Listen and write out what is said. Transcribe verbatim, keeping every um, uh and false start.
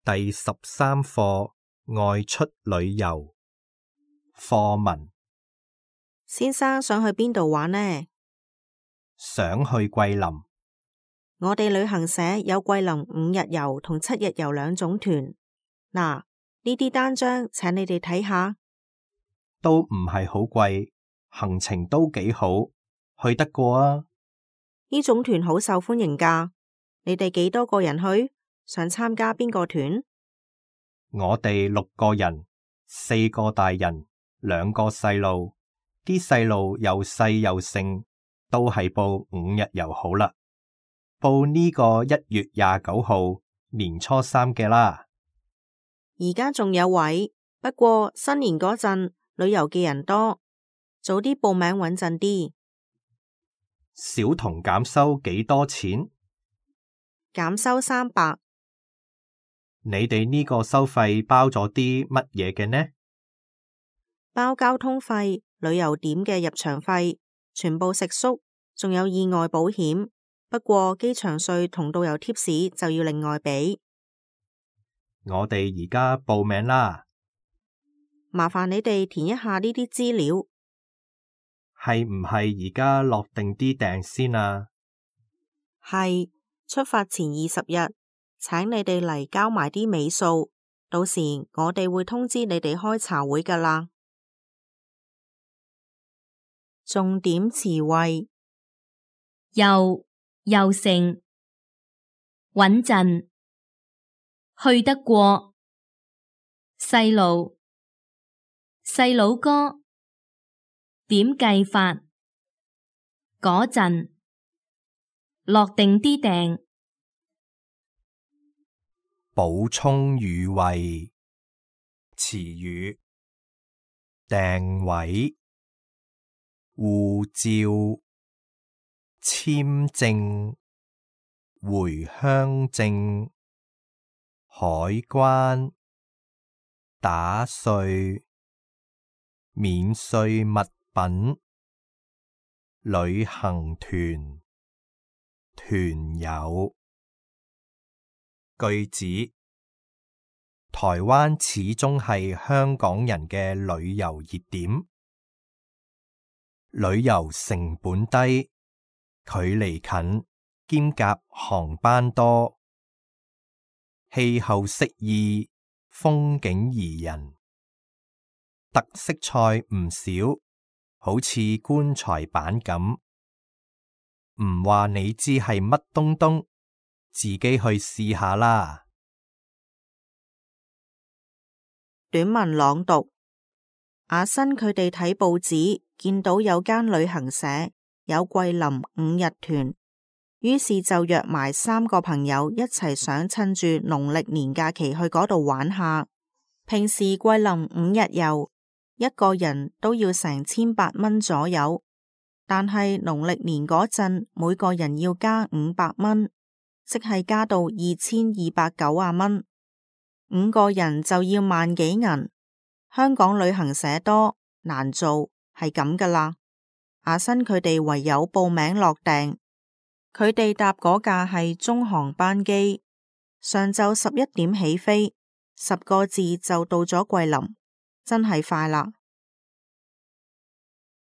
第十三課外出旅遊課文。先生想去邊度玩呢？想去桂林。我哋旅行社有桂林五日遊同七日遊兩種團。嗱，呢啲單張請你哋睇下。都唔係好貴，行程都幾好，去得過啊。呢種團好受歡迎㗎。你哋幾多個人去？想參加邊個團？我哋六個人，四個大人，兩個細路。啲細路又細又盛，都係報五日遊好啦。報呢個一月廿九號年初三嘅啦。而家仲有位，不過新年嗰陣旅遊嘅人多，早啲報名穩陣啲。小童減收幾多錢？減收三百。你哋呢個收費包咗啲乜嘢嘅呢？包交通費、旅遊點嘅入場費、全部食宿，仲有意外保險。不過機場稅同導遊貼士就要另外俾。我哋而家報名啦。麻煩你哋填一下呢啲資料。係唔係而家落定啲訂先啊？係，出發前二十日，請你哋嚟交埋啲尾數，到時我哋會通知你哋開茶會㗎喇。重點詞彙：又又盛，穩陣，去得過，細路，細佬哥，點計法，嗰陣，落定啲訂。補充語彙：詞語，訂位、護照、簽證、回鄉證、海關、打稅、免稅物品、旅行團、團友。句子：台灣始終係香港人嘅旅遊熱點，旅遊成本低，距離近，兼夾航班多，氣候適宜，風景宜人，特色菜唔少，好似棺材板咁。唔話你知係乜東東，自己去試下啦。短文朗讀：阿新佢哋睇報紙，見到有間旅行社有桂林五日團，於是就約埋三個朋友一齊想趁住農曆年假期去嗰度玩下。平時桂林五日遊一個人都要成千八蚊左右，但係農曆年嗰陣每個人要加五百蚊。即係加到二千二百九十蚊，五個人就要萬幾銀。香港旅行社多，難做，係咁噶啦。阿新佢哋唯有報名落訂，佢哋搭嗰架係中航班機，上晝十一點起飛，十個字就到咗桂林，真係快啦。